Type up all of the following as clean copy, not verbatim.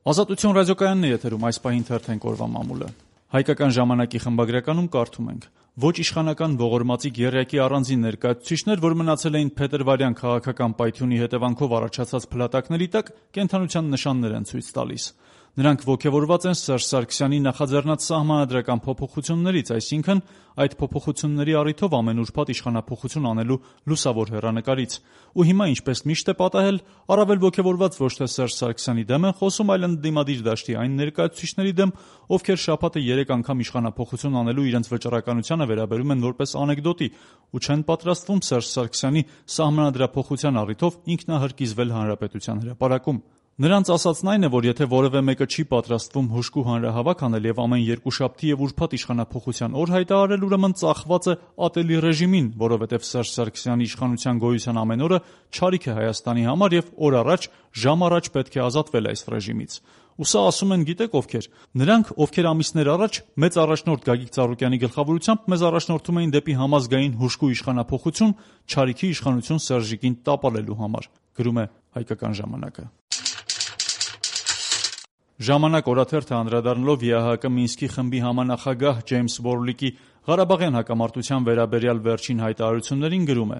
Ազատություն ռադիոկայանն է եթերում, այս պահին թերթենք օրվա մամուլը։ Հայկական ժամանակի խմբագրականում կարդում ենք. ոչ իշխանական ողորմածիկ եռյակի առանձին ներկայացուցիչներ, որ մնացել էին փետրվարյան քաղաքական պայթյունի հետևանքով առաջացած փլատակների տակ, կենդանության նշաններ են ցույց տալիս։ Նրանք ոգևորված են Սերժ Սարգսյանի նախաձեռնած սահմանադրական փոփոխություններից, այսինքն այդ փոփոխությունների առիթով ամեն ուրբաթ իշխանափոխություն անելու լուսավոր հեռանկարից։ Ու հիմա, ինչպես միշտ է պատահել, առավել ոգևորված ոչ թե Սերժ Սարգսյանի դեմ են խոսում, այլ ընդդիմադիր դաշտի այն ներկայացուցիչների դեմ, ովքեր շաբաթը 3 անգամ իշխանափոխություն անելու իրենց վճռականությանը վերաբերում են որպես անեկդոտի ու չեն պատրաստվում Սերժ Սարգսյանի սահմանադրափոխության առիթով ինքնահրկիզվել հանրապետության հրապարակում։ Նրանց ասածն այն է, որ եթե որևէ մեկը չի պատրաստվում հուժկու հանրահավաք անել եւ ամեն երկուշաբթի եւ ուրբաթ իշխանափոխության օր հայտարարել, ուրեմն ծախված է ատելի ռեժիմին, որովհետեւ Սերժ Սարգսյանի իշխանության գոյության ամեն օրը չարիք է Հայաստանի համար եւ օր առաջ, ժամ առաջ պետք է ազատվել այս ռեժիմից։ Ու սա ասում են գիտեք ովքեր։ Նրանք, ովքեր ամիսներ առաջ մեծ առաջնորդ Գագիկ Ծառուկյանի գլխավորությամբ մեզ առաջնորդում էին դեպի համազգային հուժկու իշխանափոխություն, չարիքի իշխանություն Սերժիկին տապալելու համար, գրում է Հայկական ժամանակը։ Ժամանակ օրաթերթը անդրադառնալով ԵԱՀԿ Մինսկի խմբի համանախագահ Ջեյմս Որլիկի Ղարաբաղյան հակամարտության վերաբերյալ վերջին հայտարարություններին գրում է.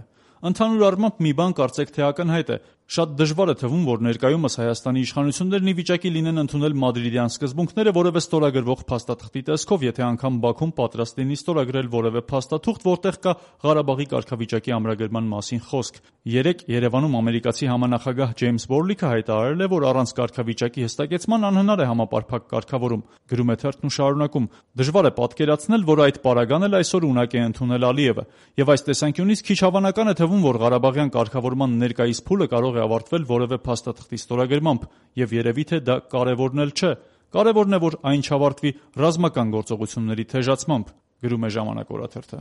Ընդհանուր առմամբ մի բան կարծեք թե ակնհայտ է. շատ դժվար է թվում, որ ներկայումս Հայաստանի իշխանություններն ի վիճակի լինեն ընդունել մադրիդյան սկզբունքները որևէ ստորագրվող փաստաթղթի տեսքով, եթե անգամ Բաքուն պատրաստ լինի ստորագրել որևէ փաստաթուղթ, որտեղ կա Ղարաբաղի կարգավիճակի ամրագրման մասին խոսք։ Երեկ Երևանում ամերիկացի համանախագահ Ջեյմս Որլիկը հայտարարել է, որ առանց կարգավիճակի հստակեցման անհնար է համապարփակ կարգավորում, գրում է թերթն ու շարունակում. դժվար է պատկերացնել, որ այդ պարագան էլ այսօր ունակ է ընդունել Ալիևը, եւ այս տեսանկյունից քիչ հավանական է թվում, որ Ղարաբաղյան կարգավորման ներկայիս փուլը կարող է ավարտվել որևէ փաստաթղթի ստորագրմամբ, եւ երևի թե դա կարեւորն էլ չէ։ Կարեւորն է, որ այն չավարտվի ռազմական գործողությունների թեժացմամբ, գրում է Ժամանակ օրաթերթը։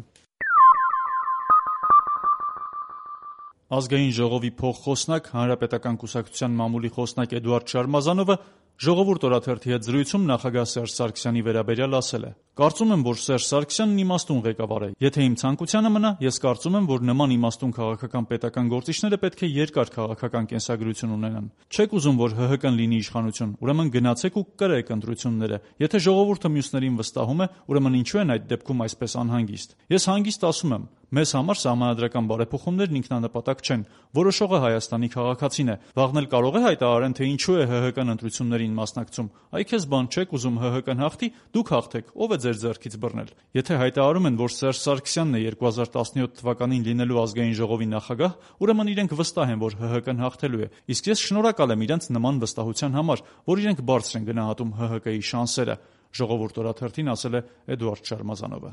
Ազգային ժողովի փոխխոսնակ, Հանրապետական կուսակցության մամուլի խոսնակ Էդուարդ Շարմազանովը Ժողովուրդ օրաթերթի հետ զրույցում նախագահ Սերժ Սարգսյանի վերաբերյալ ասել է. Կարծում եմ, որ Սերժ Սարգսյանն իմաստուն ղեկավար է։ Եթե իմ ցանկությանը մնա, ես կարծում եմ, որ նման իմաստուն քաղաքական պետական գործիչները պետք է երկար քաղաքական կենսագրություն ունենան։ Չեք ուզում, որ ՀՀԿ-ն լինի իշխանություն, ուրեմն գնացեք ու կրեք ընտրությունները։ Եթե ժողովուրդը մյուսներին վստահում է, ուրեմն ինչու են այդ դեպքում այսպես անհանգիստ։ Ես հանգիստ ասում եմ, մեզ համար սահմանադրական բարեփոխումներն ինքնանպատակ չեն։ Որոշողը Հայաստանի քաղաքացին է։ Վաղն էլ կարող է հայտարարեն, թե ինչու է ՀՀԿ-ն ընտրություններին մասնակցում։ Այ քեզ բան չեք ուզում ՀՀԿ-ն հաղթի, դուք հաղթեք, ով է ձեր ձեռքից բռնել։ Եթե հայտարարում են, որ Սերժ Սարգսյանն է 2017 թվականին լինելու ազգային ժողովի նախագահ, ուրեմն իրենք վստահ են, որ ՀՀԿ-ն հաղթելու է։ Իսկ ես շնորհակալ եմ իրենց նման վստահության համար, որ իրենք բարձր են գնահատում ՀՀԿ-ի շանսերը, Ժողովուրդ օրաթերթին ասել է Էդուարդ Շարմազանովը։